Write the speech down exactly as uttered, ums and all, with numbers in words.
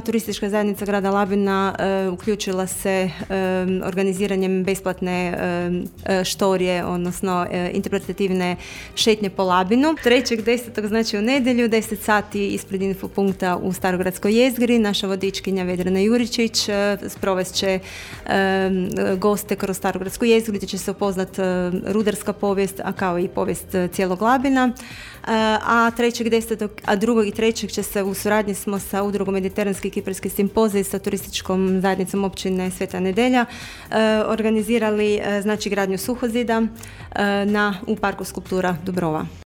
Turistička zajednica grada Labina e, uključila se e, organiziranjem besplatne e, štorije, odnosno e, interpretativne šetnje po Labinu. trećeg desetog znači u nedjelju, deset sati ispred infopunkta u Starogradskoj jezgri. Naša vodičkinja Vedrana Juričić e, sprovest će e, goste kroz Starogradsku jezgru gdje će se upoznat e, rudarska povijest, a kao i povijest cijelog Labina. A trećeg desetog a drugog i trećeg će se u suradnji smo sa udrugom Mediteranski kiparski simpozij sa turističkom zajednicom općine Sveta Nedelja organizirali znači gradnju suhozida na, u parku skulptura Dubrova.